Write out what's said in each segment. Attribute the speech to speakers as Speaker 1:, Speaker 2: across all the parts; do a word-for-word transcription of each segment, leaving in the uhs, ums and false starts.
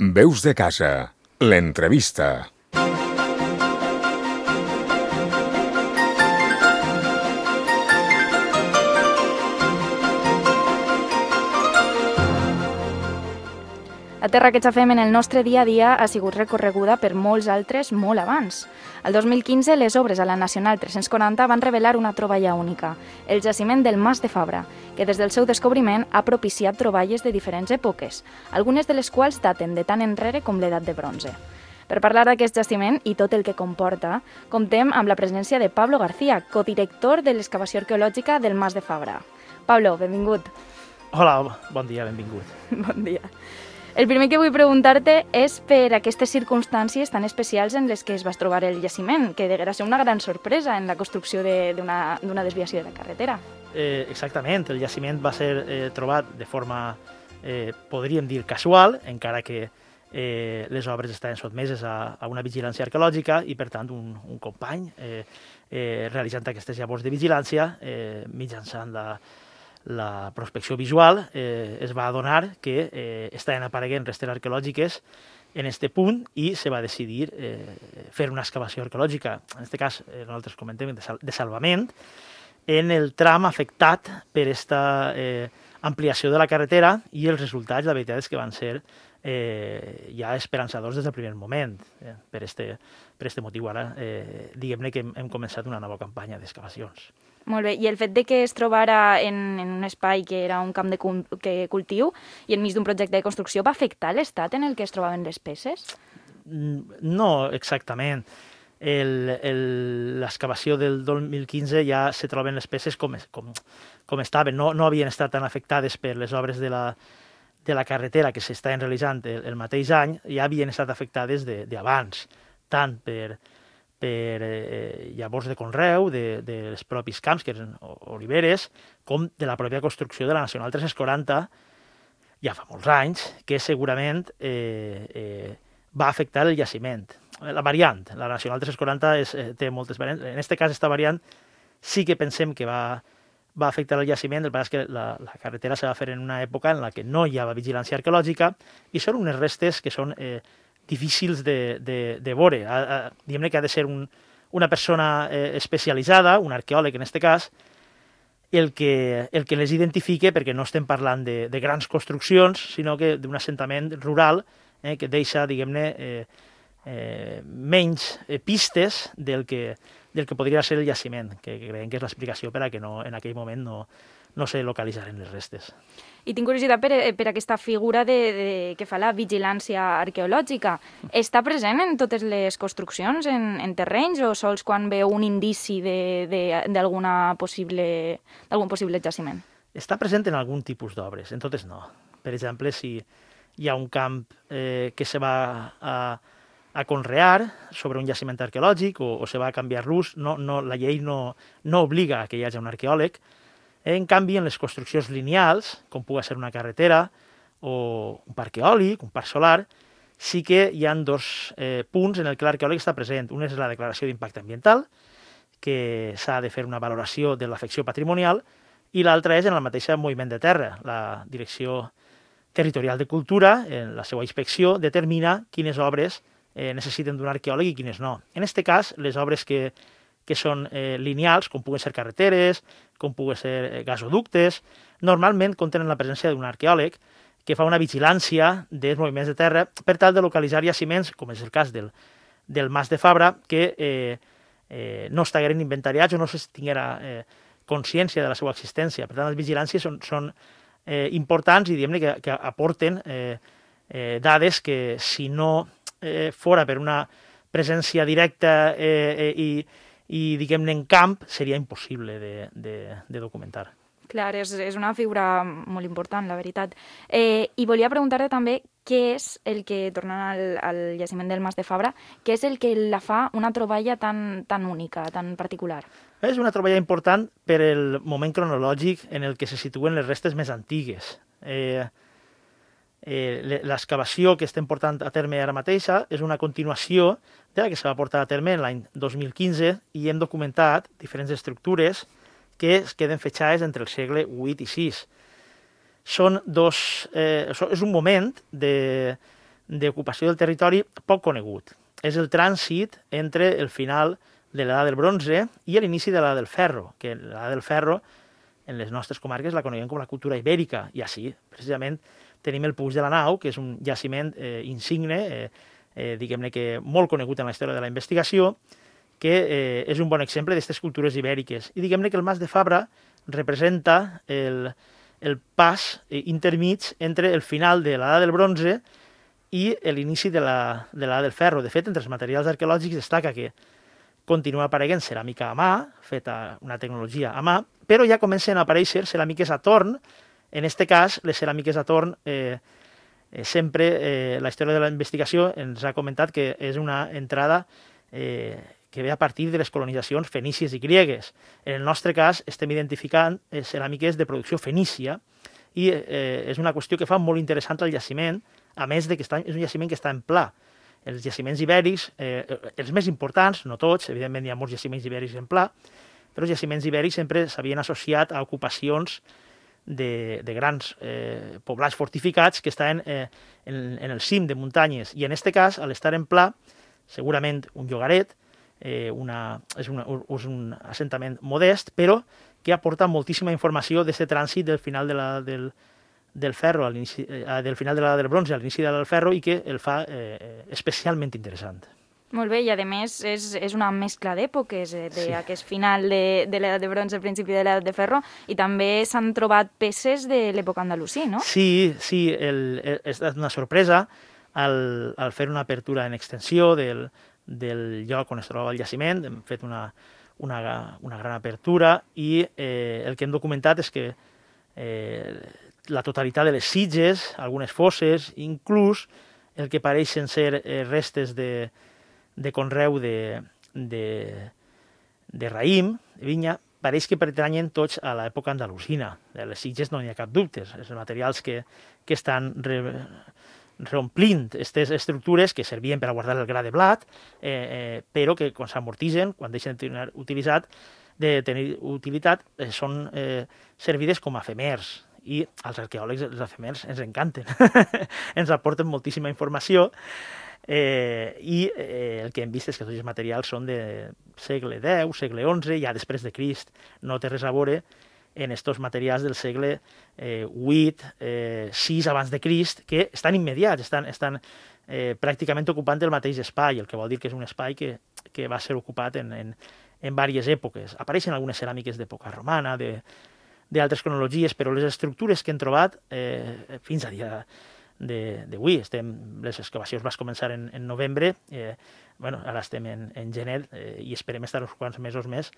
Speaker 1: Veus de casa, l'entrevista.
Speaker 2: La terra que xafem en el nostre dia a dia ha sigut recorreguda per molts altres molt abans. El dos mil quinze, les obres a la Nacional tres-cents quaranta van revelar una troballa única, el jaciment del Mas de Fabra, que des del seu descobriment ha propiciat troballes de diferents èpoques, algunes de les quals daten de tan enrere com l'edat de bronze. Per parlar d'aquest jaciment i tot el que comporta, comptem amb la presència de Pablo García, codirector de l'excavació arqueològica del Mas de Fabra. Pablo, benvingut.
Speaker 3: Hola, bon dia, benvingut.
Speaker 2: Bon dia. El primer que vull preguntar-te és per aquestes circumstàncies tan especials en les que es va trobar el jaciment, que deguera ser una gran sorpresa en la construcció d'una desviació de la carretera.
Speaker 3: Eh, exactament, el jaciment va ser eh, trobat de forma, eh, podríem dir, casual, encara que eh, les obres estaven sotmeses a, a una vigilància arqueològica i, per tant, un, un company eh, eh, realitzant aquestes llavors de vigilància eh, mitjançant la la prospecció visual, eh, es va adonar que eh, estaven apareguent restes arqueològiques en aquest punt i se va decidir eh, fer una excavació arqueològica, en aquest cas eh, nosaltres comentem de, sal de salvament, en el tram afectat per aquesta eh, ampliació de la carretera i els resultats, la veritat és que van ser eh, ja esperançadors des del primer moment. Eh, per este, per este motiu ara, eh, diguem-ne que hem, hem començat una nova campanya d'excavacions.
Speaker 2: Molt bé, i el fet de que es trobara en, en un espai que era un camp de cu que cultiu i enmig d'un projecte de construcció va afectar l'estat en el que es trobaven les peces?
Speaker 3: No, exactament. L'excavació del dos mil quinze ja se troben les peces com, com, com estaven, no, no havien estat tan afectades per les obres de la, de la carretera que s'estaven realitzant el, el mateix any, ja havien estat afectades d'abans, tant per per eh, llavors de conreu, de, dels propis camps, que eren oliveres, com de la pròpia construcció de la Nacional tres-cents quaranta, ja fa molts anys, que segurament eh, eh, va afectar el jaciment. La variant, la Nacional tres-cents quaranta és, eh, té moltes variants. En aquest cas, esta variant sí que pensem que va, va afectar el jaciment, el que passa és que la, la carretera se va fer en una època en la que no hi havia vigilància arqueològica i són unes restes que són eh, difícils de, de, de veure. Diguem-ne que ha de ser un, una persona eh, especialitzada, un arqueòleg en aquest cas, el que, el que les identifique, perquè no estem parlant de, de grans construccions, sinó que d'un assentament rural eh, que deixa, diguem-ne, eh, eh, menys eh, pistes del que, del que podria ser el jaciment, que creiem que és l'explicació per a que no, en aquell moment no, no se localitzaren les restes.
Speaker 2: I tinc curiositat per, per aquesta figura de, de, que fa la vigilància arqueològica. Està present en totes les construccions, en, en terrenys, o sols quan veu un indici d'algun possible, possible jaciment?
Speaker 3: Està present en algun tipus d'obres, en totes no. Per exemple, si hi ha un camp eh, que se va a, a conrear sobre un jaciment arqueològic o, o se va a canviar l'ús, no, no, la llei no, no obliga que hi hagi un arqueòleg. En canvi, en les construccions lineals, com pugui ser una carretera o un parc eòlic, un parc solar, sí que hi ha dos eh, punts en el que l'arqueòleg està present. Un és la declaració d'impacte ambiental, que s'ha de fer una valoració de l'afecció patrimonial, i l'altra és en el mateix moviment de terra. La Direcció Territorial de Cultura, en la seva inspecció, determina quines obres eh, necessiten d'un arqueòleg i quines no. En aquest cas, les obres que que són eh, lineals, com puguen ser carreteres, com puguen ser eh, gasoductes, normalment contenen la presència d'un arqueòleg que fa una vigilància dels moviments de terra per tal de localitzar jaciments, com és el cas del, del Mas de Fabra, que eh, eh, no estigueren inventariats o no es tinguera eh, consciència de la seva existència. Per tant, les vigilàncies són, són eh, importants i diguem-ne que, que aporten eh, eh, dades que si no eh, fora per una presència directa eh, eh, i i, diguem-ne, en camp seria impossible de, de, de documentar.
Speaker 2: Clar, és, és una figura molt important, la veritat. Eh, I volia preguntar-te també què és el que, tornant al, al jaciment del Mas de Fabra, què és el que la fa una troballa tan, tan única, tan particular?
Speaker 3: És una troballa important per el moment cronològic en el que se situen les restes més antigues. Eh, eh, l'excavació que estem portant a terme ara mateixa és una continuació de la que se va portar a terme l'any dos mil quinze i hem documentat diferents estructures que es queden fetxades entre el segle vuit i sis. Són dos, eh, és un moment de, d'ocupació del territori poc conegut. És el trànsit entre el final de l'edat del bronze i l'inici de l'edat del ferro, que l'edat del ferro en les nostres comarques la coneguem com la cultura ibèrica, i així, precisament, tenim el Puig de la Nau, que és un jaciment eh, insigne, eh, eh, diguem-ne que molt conegut en la història de la investigació, que eh, és un bon exemple d'aquestes cultures ibèriques. I diguem-ne que el Mas de Fabra representa el, el pas eh, intermig entre el final de l'edat del bronze i l'inici de l'edat del ferro. De fet, entre els materials arqueològics destaca que continua apareixent ceràmica a mà, feta una tecnologia a mà, però ja comencen a aparèixer ceràmiques a torn. En aquest cas, les ceràmiques a torn, eh, eh, sempre eh, la història de la investigació ens ha comentat que és una entrada eh, que ve a partir de les colonitzacions fenícies i griegues. En el nostre cas, estem identificant eh, ceràmiques de producció fenícia i eh, és una qüestió que fa molt interessant el jaciment, a més de que està, és un jaciment que està en pla. Els jaciments ibèrics, eh, els més importants, no tots, evidentment hi ha molts jaciments ibèrics en pla, però els jaciments ibèrics sempre s'havien associat a ocupacions de, de grans eh, poblats fortificats que estaven eh, en, en el cim de muntanyes. I en aquest cas, a l'estar en pla, segurament un llogaret, eh, una, és, una, és un assentament modest, però que aporta moltíssima informació d'aquest trànsit del final de la, del, del ferro, a eh, del final de l'edat del bronze a l'inici de l'edat del ferro, i que el fa eh, especialment interessant.
Speaker 2: Molt bé, i a més és, és una mescla d'èpoques, eh, d'aquest sí. final de, de l'edat de bronze, al principi de l'edat de ferro, i també s'han trobat peces de l'època andalusí, no?
Speaker 3: Sí, sí, el, el, ha estat una sorpresa al, al fer una apertura en extensió del, del lloc on es troba el jaciment. Hem fet una, una, una gran apertura i eh, el que hem documentat és que eh, la totalitat de les sitges, algunes fosses, inclús el que pareixen ser eh, restes de, de conreu de, de, de raïm, de vinya, pareix que pertanyen tots a l'època andalusina. De les sitges no n'hi ha cap dubte, els materials que, que estan re, reomplint aquestes estructures que servien per a guardar el gra de blat, eh, eh, però que quan s'amortitzen, quan deixen de tenir utilitat, de tenir utilitat, eh, són eh, servides com a efemers. I als arqueòlegs els efemers ens encanten, ens aporten moltíssima informació, eh, i eh, el que hem vist és que tots els materials són de segle deu, segle onze, ja després de Crist. No té res a veure en estos materials del segle eh, vuit, eh, sis abans de Crist, que estan immediats, estan, estan eh, pràcticament ocupant el mateix espai, el que vol dir que és un espai que, que va ser ocupat en, en, en diverses èpoques. Apareixen algunes ceràmiques d'època romana, de d'altres cronologies, però les estructures que hem trobat eh, fins a dia d'avui, estem, les excavacions van començar en, en novembre, eh, bueno, ara estem en, en gener eh, i esperem estar uns quants mesos més.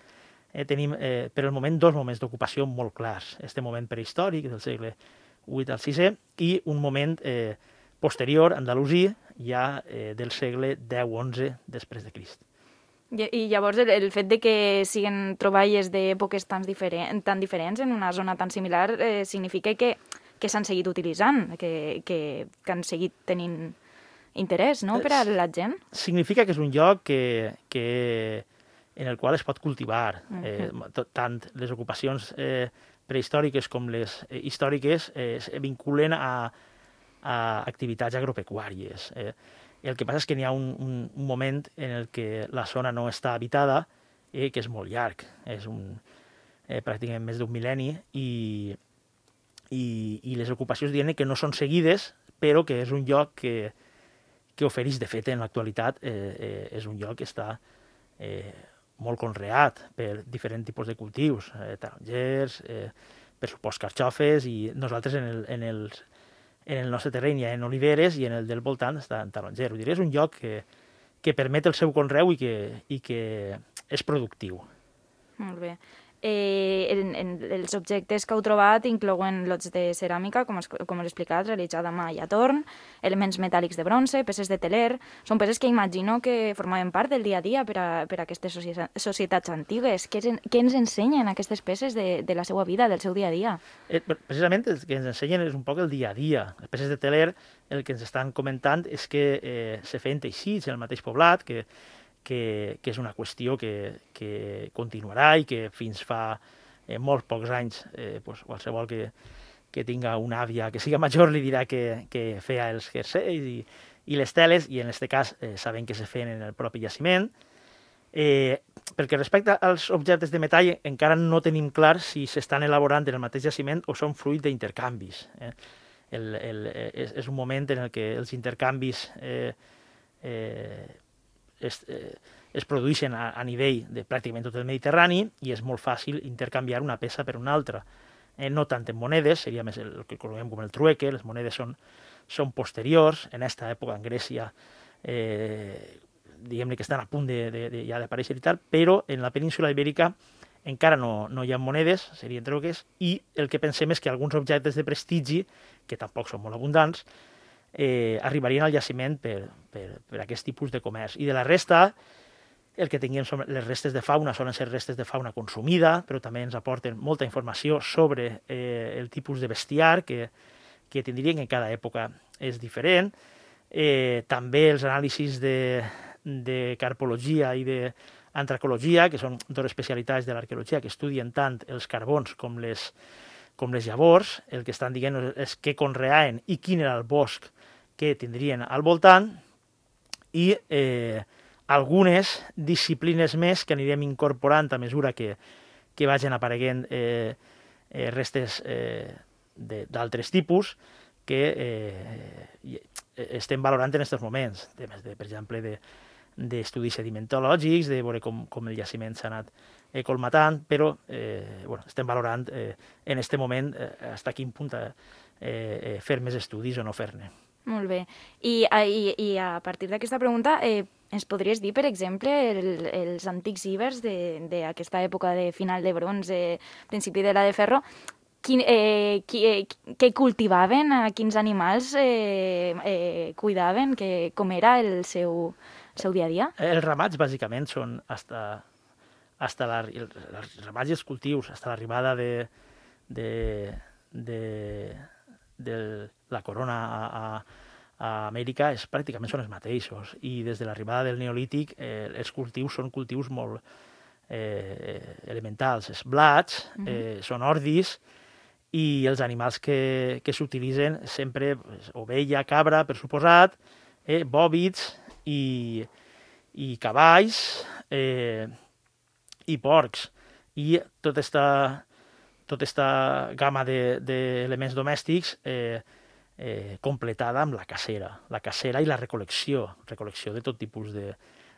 Speaker 3: Eh, tenim, eh, per el moment, dos moments d'ocupació molt clars. Este moment prehistòric, del segle vuit al sisè, i un moment eh, posterior, andalusí, ja eh, del segle deu onze després de Crist.
Speaker 2: I llavors el, el fet de que siguen troballes d'èpoques tan, diferent, tan diferents en una zona tan similar eh, significa que, que s'han seguit utilitzant, que, que, que han seguit tenint interès, no?, per a la gent.
Speaker 3: Significa que és un lloc que, que, en el qual es pot cultivar. eh, tant les ocupacions eh, prehistòriques com les eh, històriques eh, es vinculen a, a activitats agropecuàries. Eh, El que passa és que n'hi ha un, un, un moment en el que la zona no està habitada, eh, que és molt llarg, és un, eh, pràcticament més d'un mil·lenni, i, i, i les ocupacions diuen que no són seguides, però que és un lloc que, que ofereix, de fet, en l'actualitat, eh, eh, és un lloc que està eh, molt conreat per diferents tipus de cultius, eh, tarongers, eh, per supòs carxofes, i nosaltres en el, en els en el nostre terreny hi ha en oliveres i en el del voltant està en taronger. Vull dir, és un lloc que, que permet el seu conreu i que, i que és productiu.
Speaker 2: Molt bé. Eh, en, en els objectes que heu trobat inclouen lots de ceràmica, com, es, com he explicat, realitzada a mà i a torn, elements metàl·lics de bronze, peces de teler. Són peces que imagino que formaven part del dia a dia per a, per a aquestes societats antigues. Què, què ens ensenyen aquestes peces de, de la seva vida, del seu dia a dia?
Speaker 3: Eh, precisament el que ens ensenyen és un poc el dia a dia. Les peces de teler, el que ens estan comentant és que eh, se feien teixits en el mateix poblat, que Que, que és una qüestió que, que continuarà i que fins fa eh, molts pocs anys eh, pues, qualsevol que, que tinga una àvia que siga major li dirà que, que feia els jerseis i, i les teles, i en aquest cas eh, sabem que se feien en el propi jaciment. Eh, pel que respecta als objectes de metall, encara no tenim clar si s'estan elaborant en el mateix jaciment o són fruit d'intercanvis. Eh? El, el, és, és un moment en el què els intercanvis eh, eh, es, eh, es produeixen a, a nivell de pràcticament tot el Mediterrani i és molt fàcil intercanviar una peça per una altra. Eh, no tant en monedes, seria més el, el que coneguem com el trueque, les monedes són, són posteriors, en aquesta època en Grècia eh, diguem-ne que estan a punt de, de, de, ja d'aparèixer i tal, però en la península ibèrica encara no, no hi ha monedes, serien trueques, i el que pensem és que alguns objectes de prestigi, que tampoc són molt abundants, eh, arribarien al jaciment per, per, per aquest tipus de comerç. I de la resta, el que tinguem són les restes de fauna, solen ser restes de fauna consumida, però també ens aporten molta informació sobre eh, el tipus de bestiar que, que tindrien, que en cada època és diferent. Eh, també els anàlisis de, de carpologia i d'antracologia, que són dues especialitats de l'arqueologia que estudien tant els carbons com les, com les llavors. El que estan dient és què conreaven i quin era el bosc que tindrien al voltant, i eh, algunes disciplines més que anirem incorporant a mesura que, que vagin apareguent eh, eh, restes eh, d'altres tipus que eh, estem valorant en aquests moments, temes, de, per exemple, de, d'estudis sedimentològics, de veure com, com el jaciment s'ha anat eh, colmatant, però eh, bueno, estem valorant eh, en aquest moment eh, fins a quin punt eh, eh, fer més estudis o no fer-ne.
Speaker 2: Molt bé. I, i, i a partir d'aquesta pregunta, eh, ens podries dir, per exemple, el, els antics ibers d'aquesta època de final de bronze, principi de la de ferro, quin, eh, qui, eh, què cultivaven, a quins animals eh, eh, cuidaven, que, com era el seu, el seu dia a dia?
Speaker 3: Els ramats, bàsicament, són hasta, hasta la, els ramats i els cultius, fins a l'arribada de, de, de, de la corona a, a, a Amèrica és, pràcticament són els mateixos, i des de l'arribada del Neolític eh, els cultius són cultius molt eh, elementals. Els blats eh, mm-hmm. són ordis, i els animals que, que s'utilitzen sempre, pues, ovella, cabra, per suposat, eh, bòvids i, i cavalls eh, i porcs. I tota esta, tota esta gamma d'elements de, domèstics eh, eh, completada amb la cacera. La cacera i la recol·lecció, recol·lecció de tot tipus de,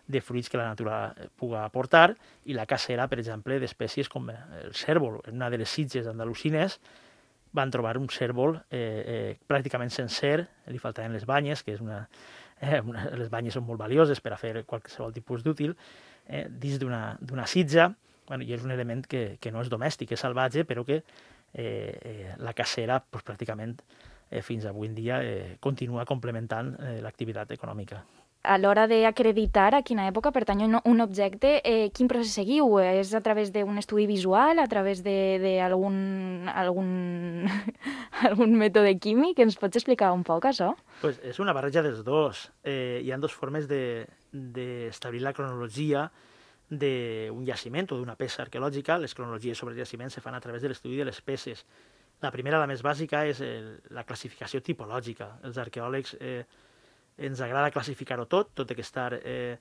Speaker 3: de fruits que la natura puga aportar, i la cacera, per exemple, d'espècies com el cèrvol. En una de les sitges andalusines van trobar un cèrvol eh, eh, pràcticament sencer, li faltaven les banyes, que és una, eh, una, les banyes són molt valioses per a fer qualsevol tipus d'útil, eh, dins d'una sitja, bueno, i és un element que, que no és domèstic, és salvatge, però que eh, eh, la cacera pues, pràcticament eh, fins avui en dia eh, continua complementant eh, l'activitat econòmica.
Speaker 2: A l'hora d'acreditar a quina època pertany un objecte, eh, quin procés seguiu? És a través d'un estudi visual, a través d'algun algun, algun mètode químic? Ens pots explicar un poc, això?
Speaker 3: Pues és una barreja dels dos. Eh, hi ha dues formes d'establir de, la cronologia d'un jaciment o d'una peça arqueològica. Les cronologies sobre jaciments se fan a través de l'estudi de les peces. La primera, la més bàsica, és el, la classificació tipològica. Els arqueòlegs eh, ens agrada classificar-ho tot, tot ha d'estar eh,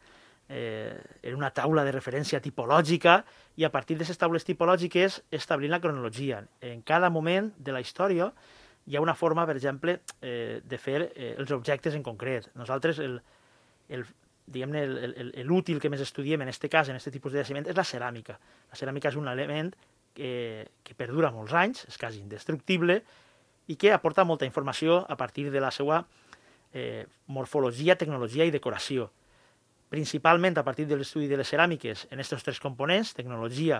Speaker 3: eh, en una taula de referència tipològica, i a partir d'aquestes taules tipològiques establir la cronologia. En cada moment de la història hi ha una forma, per exemple, eh, de fer eh, els objectes en concret. Nosaltres, el, el, diguem-ne, l'útil que més estudiem en aquest cas, en aquest tipus de jaciment, és la ceràmica. La ceràmica és un element que, que perdura molts anys, és quasi indestructible, i que aporta molta informació a partir de la seva Eh, morfologia, tecnologia i decoració. Principalment a partir de l'estudi de les ceràmiques en aquests tres components, tecnologia,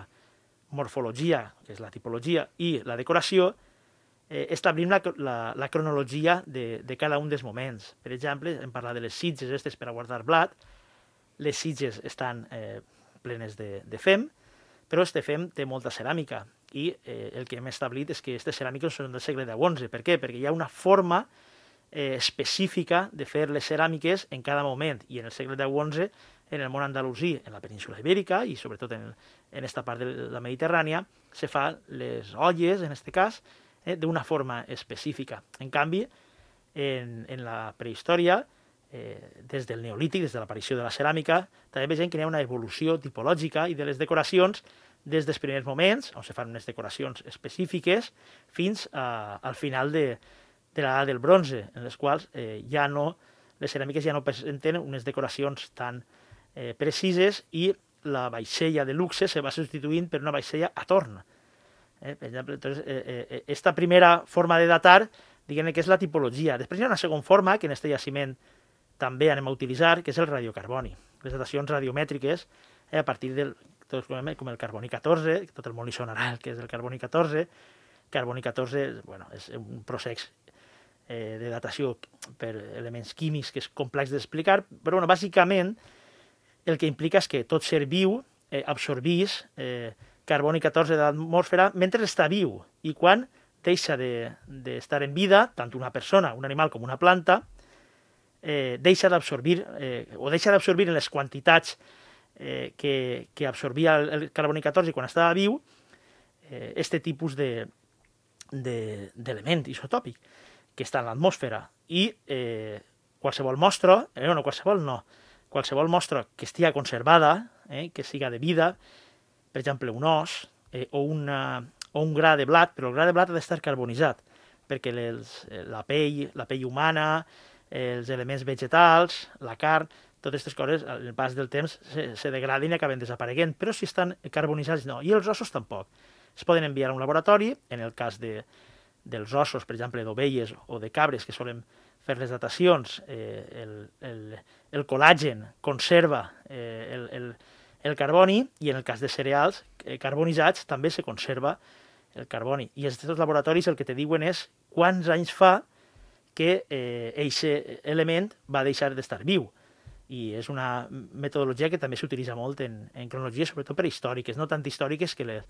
Speaker 3: morfologia, que és la tipologia, i la decoració, eh, establim la, la, la cronologia de, de cada un dels moments. Per exemple, hem parlat de les sitges aquestes per a guardar blat. Les sitges estan eh, plenes de, de fem, però este fem té molta ceràmica, i eh, el que hem establit és que aquestes ceràmiques són del segle deu onze. Per què? Perquè hi ha una forma Eh, específica de fer les ceràmiques en cada moment, i en el segle deu onze, en el món andalusí, en la península ibèrica, i sobretot en, en esta part de la Mediterrània, se fan les olles, en aquest cas, eh, d'una forma específica. En canvi, en, en la prehistòria, eh, des del Neolític, des de l'aparició de la ceràmica, també vegem que hi ha una evolució tipològica i de les decoracions des dels primers moments, on se fan unes decoracions específiques, fins a, al final de, de l'edat del bronze, en les quals eh, ja no, les ceràmiques ja no presenten unes decoracions tan eh, precises i la vaixella de luxe se va substituint per una vaixella a torn. Eh, per exemple, entonces, eh, eh, esta primera forma de datar, diguem que és la tipologia. Després hi ha una segona forma, que en aquest jaciment també anem a utilitzar, que és el radiocarboni. Les datacions radiomètriques, eh, a partir del, tot com el carboni catorze, tot el món li sonarà el que és el carboni catorze. Carboni catorze bueno, és un procés eh, de datació per elements químics que és complex d'explicar, però bueno, bàsicament el que implica és que tot ser viu eh, absorbís eh, carboni catorze de l'atmosfera mentre està viu, i quan deixa d'estar de, en vida, tant una persona, un animal com una planta, eh, deixa d'absorbir, eh, o deixa d'absorbir en les quantitats eh, que, que absorbia el, el carboni catorze quan estava viu, eh, este tipus de, de, d'element isotòpic que està en l'atmosfera. I eh, qualsevol mostra, eh, no, qualsevol no, qualsevol mostra que estigui conservada, eh, que siga de vida, per exemple, un os eh, o, una, o un gra de blat, però el gra de blat ha d'estar carbonitzat, perquè les, la pell, la pell humana, els elements vegetals, la carn, totes aquestes coses, al pas del temps, se, se degraden i acaben desapareguent, però si estan carbonitzats, no. I els ossos tampoc. Es poden enviar a un laboratori, en el cas de, dels ossos, per exemple, d'ovelles o de cabres, que solen fer les datacions, eh, el, el, el col·làgen conserva eh, el, el, el carboni, i en el cas de cereals eh, carbonitzats també se conserva el carboni. I aquests laboratoris el que te diuen és quants anys fa que aquest eh, element va deixar d'estar viu. I és una metodologia que també s'utilitza molt en, en cronologies, sobretot prehistòriques, no tant històriques, que les,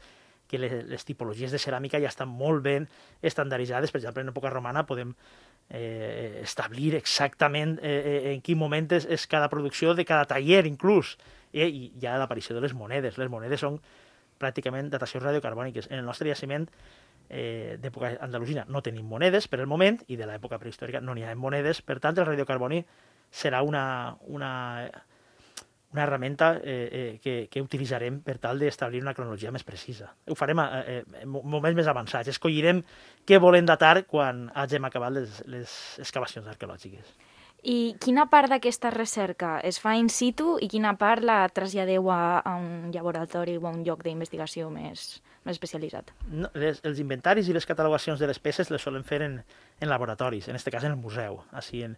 Speaker 3: que les, les tipologies de ceràmica ja estan molt ben estandarditzades. Per exemple, en època romana podem eh, establir exactament eh, en quin moment és, és cada producció de cada taller, inclús. Eh, I hi ha l'aparició de les monedes. Les monedes són pràcticament datacions radiocarbòniques. En el nostre jaciment eh, d'època andalusina no tenim monedes per el moment, i de l'època prehistòrica no n'hi ha monedes, per tant el radiocarboni serà una, una, una herramienta eh, eh, que, que utilitzarem per tal d'establir una cronologia més precisa. Ho farem a, eh, en moments més avançats, escollirem què volem datar quan hagin acabat les, les excavacions arqueològiques.
Speaker 2: I quina part d'aquesta recerca es fa in situ i quina part la traslladeu a, a un laboratori o a un lloc d'investigació més, més especialitzat?
Speaker 3: No, les, els inventaris i les catalogacions de les peces les solen fer en, en laboratoris, en aquest cas en el museu. Així en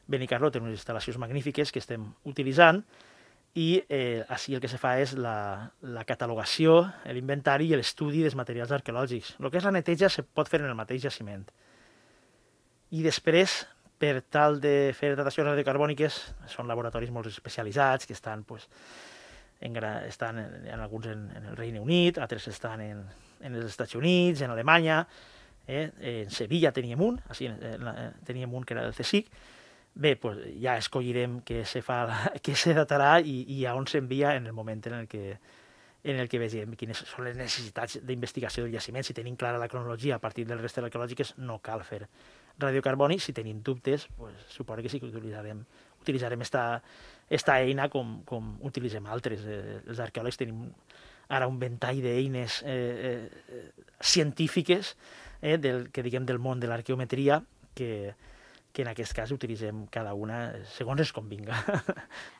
Speaker 3: Benicarló té unes instal·lacions magnífiques que estem utilitzant, i eh, així el que se fa és la, la catalogació, l'inventari i l'estudi dels materials arqueològics. El que és la neteja se pot fer en el mateix jaciment. I després, per tal de fer datacions radiocarbòniques, són laboratoris molt especialitzats, que estan, pues, en, estan en, en alguns en, en el Regne Unit, altres estan en, en els Estats Units, en Alemanya, eh? En Sevilla teníem un, així, teníem un que era del CSIC. Bé, pues, ja escollirem què se, fa, què se datarà i, i a on s'envia en el moment en el que, en el que vegem quines són les necessitats d'investigació del jaciment. Si tenim clara la cronologia a partir dels restes arqueològiques, no cal fer radiocarboni. Si tenim dubtes, pues, suposo que sí que utilitzarem utilitzarem esta, esta eina com, com utilitzem altres. Eh, els arqueòlegs tenim ara un ventall d'eines eh, eh, científiques eh, del, que diguem del món de l'arqueometria que, que en aquest cas utilitzem cada una segons es convinga.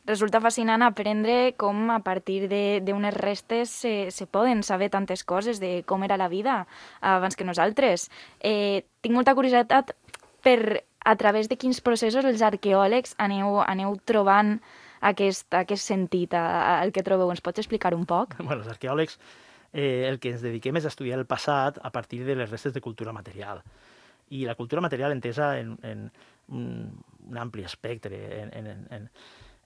Speaker 2: Resulta fascinant aprendre com a partir d'unes restes se, se poden saber tantes coses de com era la vida abans que nosaltres. Eh, tinc molta curiositat per a través de quins processos els arqueòlegs aneu, aneu trobant aquest, aquest sentit al que trobeu. Ens pots explicar un poc?
Speaker 3: Bueno, els arqueòlegs eh, el que ens dediquem és a estudiar el passat a partir de les restes de cultura material. I la cultura material entesa en, en un, un ampli espectre. En, en, en,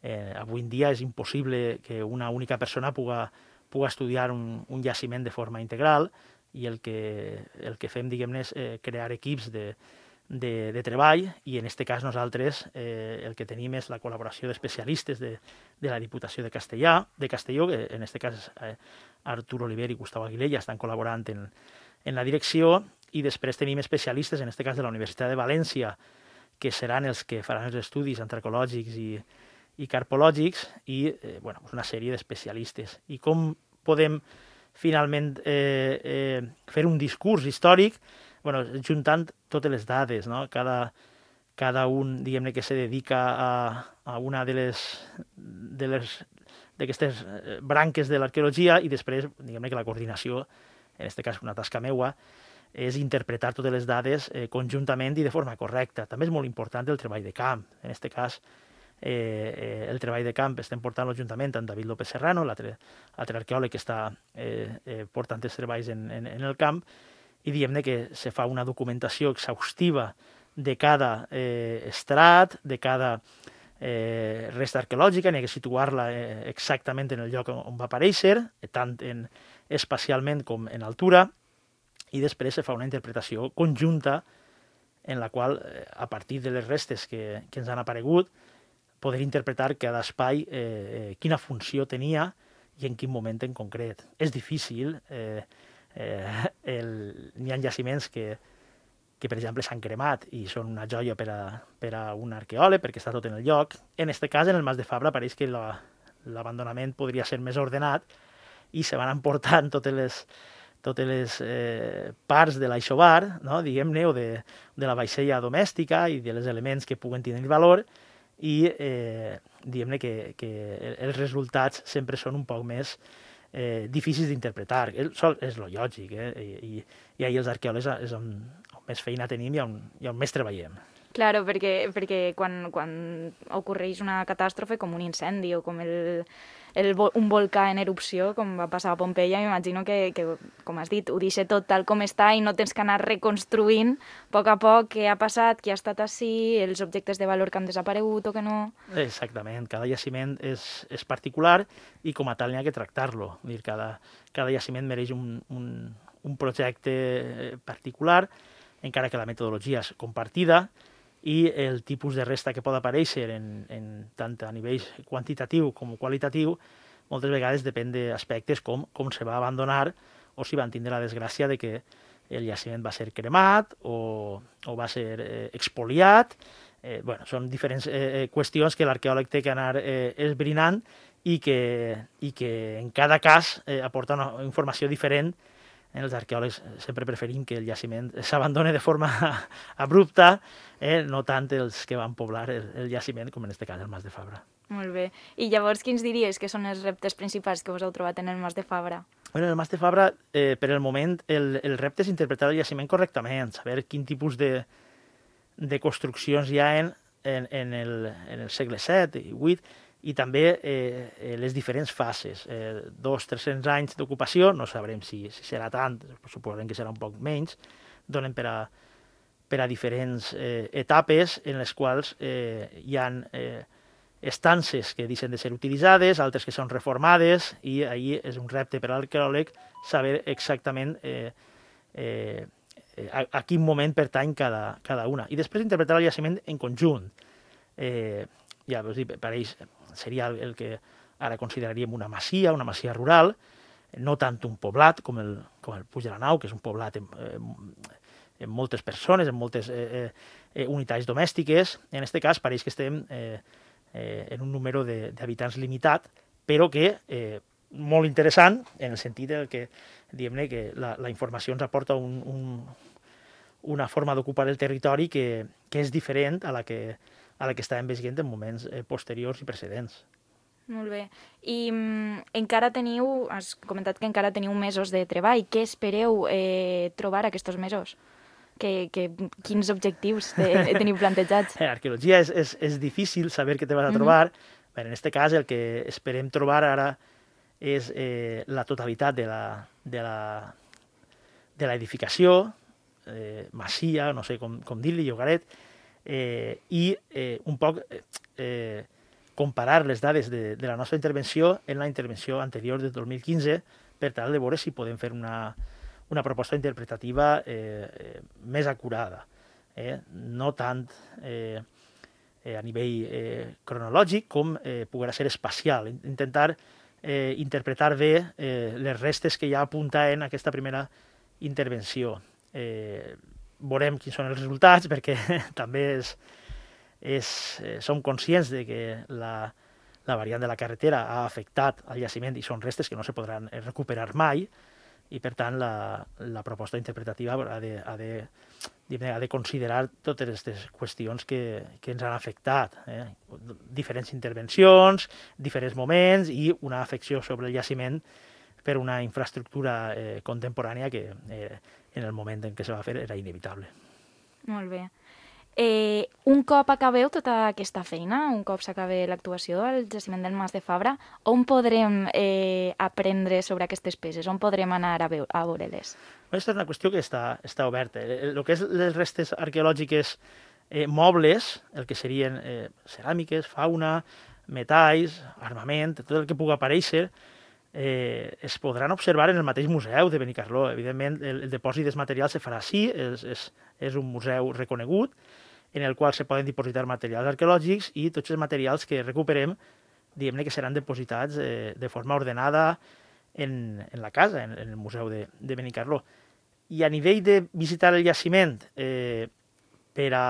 Speaker 3: eh, avui en dia és impossible que una única persona puga, puga estudiar un, un jaciment de forma integral, i el que, el que fem, diguem-ne, és eh, crear equips de, de, de treball, i en aquest cas nosaltres eh, el que tenim és la col·laboració d'especialistes de, de la Diputació de Castellà, de Castelló, que en aquest cas eh, Artur Oliver i Gustavo Aguilella estan col·laborant en, en la direcció, i després tenim especialistes, en aquest cas de la Universitat de València, que seran els que faran els estudis antropològics i, i carpològics, i eh, bueno, una sèrie d'especialistes. I com podem finalment eh, eh, fer un discurs històric? Bueno, juntant totes les dades, no? Cada, cada un, diguem-ne, que se dedica a, a una de les de les d'aquestes branques de l'arqueologia, i després, diguem-ne, que la coordinació, en aquest cas una tasca meua, és interpretar totes les dades eh, conjuntament i de forma correcta. També és molt important el treball de camp. En aquest cas, eh, eh, el treball de camp estem portant juntament amb David López Serrano, l'altre arqueòleg que està eh, eh, portant els treballs en, en, en el camp, i diguem-ne que se fa una documentació exhaustiva de cada eh, estrat, de cada eh, resta arqueològica, n'hi ha que situar-la eh, exactament en el lloc on va aparèixer, tant en, espacialment com en altura, i després se fa una interpretació conjunta en la qual, eh, a partir de les restes que, que ens han aparegut, poder interpretar cada espai eh, eh, quina funció tenia i en quin moment en concret. És difícil, eh, eh, el, n'hi ha jaciments que, que, per exemple, s'han cremat i són una joia per a, per a un arqueòleg perquè està tot en el lloc. En aquest cas, en el Mas de Fabra, pareix que la, l'abandonament podria ser més ordenat i se van emportant totes les, totes les eh, parts de l'aixobar, no? Diguem-ne, o de, de la vaixella domèstica i dels elements que puguen tenir valor, i eh, diguem-ne que, que els resultats sempre són un poc més eh, difícils d'interpretar. És lo lògic, eh? I, i, i ahir els arqueòlegs és on, on més feina tenim i on, i on més treballem.
Speaker 2: Claro, perquè, perquè quan, quan ocorreix una catàstrofe com un incendi o com el, el, un volcà en erupció, com va passar a Pompeia, m'imagino que, que, com has dit, ho deixa tot tal com està i no tens que anar reconstruint a poc a poc què ha passat, qui ha estat així, els objectes de valor que han desaparegut o que no...
Speaker 3: Exactament, cada jaciment és, és particular i com a tal n'hi ha que tractar-lo. Cada, cada jaciment mereix un, un, un projecte particular, encara que la metodologia és compartida, i el tipus de resta que pot aparèixer en, en tant a nivell quantitatiu com qualitatiu moltes vegades depèn d'aspectes com com se va abandonar o si van tindre la desgràcia de que el jaciment va ser cremat o, o va ser eh, expoliat. Eh, bueno, són diferents eh, qüestions que l'arqueòleg té que anar eh, esbrinant i que, i que en cada cas eh, aporta una informació diferent. Els arqueòlegs sempre preferim que el jaciment s'abandoni de forma abrupta, eh? no tant els que van poblar el, el jaciment, com en aquest cas el Mas de Fabra.
Speaker 2: Molt bé. I llavors, quins diries que són els reptes principals que us heu trobat en el Mas de Fabra?
Speaker 3: Bueno, en el Mas de Fabra, eh, per el moment, el, el repte és interpretar el jaciment correctament, saber quin tipus de, de construccions hi ha en, en, en, el, en el segle set i vuit, i també eh, les diferents fases. Eh, dos, tres-cents anys d'ocupació, no sabrem si, si serà tant, suposem que serà un poc menys, donen per a, per a diferents eh, etapes en les quals eh, hi ha eh, estances que deixen de ser utilitzades, altres que són reformades, i ahir és un repte per a l'arqueòleg saber exactament eh, eh, a, a quin moment pertany cada, cada una. I després interpretar el jaciment en conjunt. Eh, ja vos dic, pareix, seria el que ara consideraríem una masia, una masia rural, no tant un poblat com el, com el Puig de la Nau, que és un poblat amb, eh, amb moltes persones, amb moltes eh, eh, unitats domèstiques. En aquest cas pareix que estem eh, eh, en un número d'habitants limitat, però que eh, molt interessant en el sentit que, diguem-ne, que la, la informació ens aporta un, un, una forma d'ocupar el territori que, que és diferent a la que a la que estàvem veient en moments eh, posteriors i precedents.
Speaker 2: Molt bé. I mm, encara teniu, has comentat que encara teniu mesos de treball. Què espereu eh, trobar aquests mesos? Que, que, quins objectius te, teniu plantejats?
Speaker 3: L'arqueologia és, és, és difícil saber què te vas a trobar. Mm-hmm. Bé, en aquest cas, el que esperem trobar ara és eh, la totalitat de la, de la, de l'edificació, eh, masia, no sé com, com dir-li, llogaret, Eh, i eh, un poc eh, comparar les dades de, de la nostra intervenció en la intervenció anterior del dos mil quinze per tal de veure si podem fer una, una proposta interpretativa eh, eh, més acurada. Eh? No tant eh, eh, a nivell eh, cronològic com eh, poguera ser espacial. Intentar eh, interpretar bé eh, les restes que ja apunta en aquesta primera intervenció. Eh, veurem quins són els resultats, perquè també és, és, eh, som conscients de que la, la variant de la carretera ha afectat el jaciment i són restes que no se podran recuperar mai, i per tant la, la proposta interpretativa ha de, ha de, ha de considerar totes aquestes qüestions que, que ens han afectat, eh? Diferents intervencions, diferents moments i una afecció sobre el jaciment per una infraestructura eh, contemporània que eh, en el moment en què se va fer era inevitable.
Speaker 2: Molt bé. Eh, un cop acabeu tota aquesta feina, un cop s'acabe l'actuació al jaciment del Mas de Fabra, on podrem eh, aprendre sobre aquestes peces? On podrem anar a, veu a veure-les?
Speaker 3: Aquesta és una qüestió que està, està oberta. El que és les restes arqueològiques eh, mobles, el que serien eh, ceràmiques, fauna, metalls, armament, tot el que pugui aparèixer, eh, es podran observar en el mateix museu de Benicarló. Evidentment, el, el depòsit dels materials se farà així, és, és, és un museu reconegut, en el qual se poden dipositar materials arqueològics i tots els materials que recuperem, diguem-ne que seran dipositats eh, de forma ordenada en, en la casa, en, en el museu de, de Benicarló. I a nivell de visitar el jaciment eh, per a,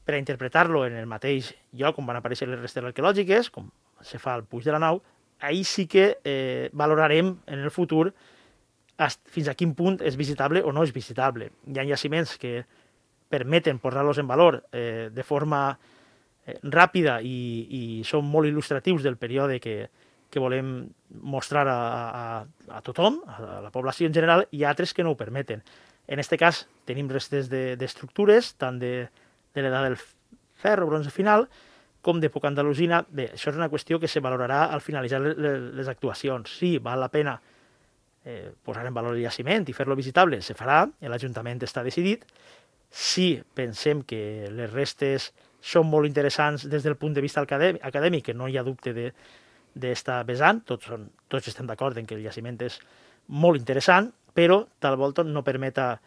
Speaker 3: per a interpretar-lo en el mateix lloc on van aparèixer les restes arqueològiques, com se fa al Puig de la Nau, ahir sí que eh, valorarem en el futur fins a quin punt és visitable o no és visitable. Hi ha jaciments que permeten posar-los en valor eh, de forma eh, ràpida i, i són molt il·lustratius del període que, que volem mostrar a, a, a tothom, a la població en general, i altres que no ho permeten. En aquest cas tenim restes d'estructures, de, tant de, de l'edat del ferro, bronze final, com d'època andalusina. Bé, això és una qüestió que se valorarà al finalitzar les, les actuacions. Sí, val la pena eh, posar en valor el jaciment i fer-lo visitable, se farà, l'Ajuntament està decidit. Si pensem que les restes són molt interessants des del punt de vista acadèmic, que no hi ha dubte d'estar vessant, tots, són, tots estem d'acord en que el jaciment és molt interessant, però tal volta no permeta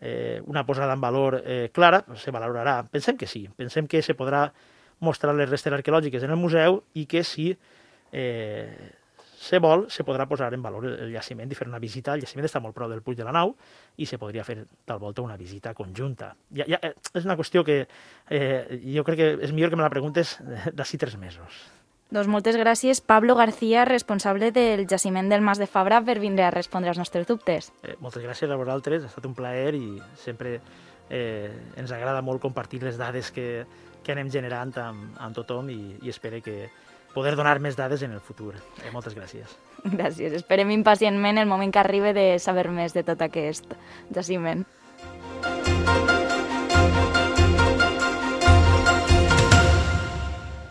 Speaker 3: eh, una posada en valor eh, clara, se valorarà. Pensem que sí, pensem que se podrà mostrar les restes arqueològiques en el museu i que si eh, se vol, se podrà posar en valor el jaciment i fer una visita. El jaciment està molt prop del Puig de la Nau i se podria fer tal volta una visita conjunta. Ja, ja, és una qüestió que eh, jo crec que és millor que me la preguntes d'ací tres mesos.
Speaker 2: Doncs moltes gràcies, Pablo García, responsable del jaciment del Mas de Fabra, per vindre a respondre als nostres dubtes.
Speaker 3: Eh, moltes gràcies a vosaltres, ha estat un plaer i sempre eh, ens agrada molt compartir les dades que, que anem generant amb, amb tothom i, i espero que poder donar més dades en el futur. Eh, moltes gràcies.
Speaker 2: Gràcies. Esperem impacientment el moment que arribi de saber més de tot aquest jaciment.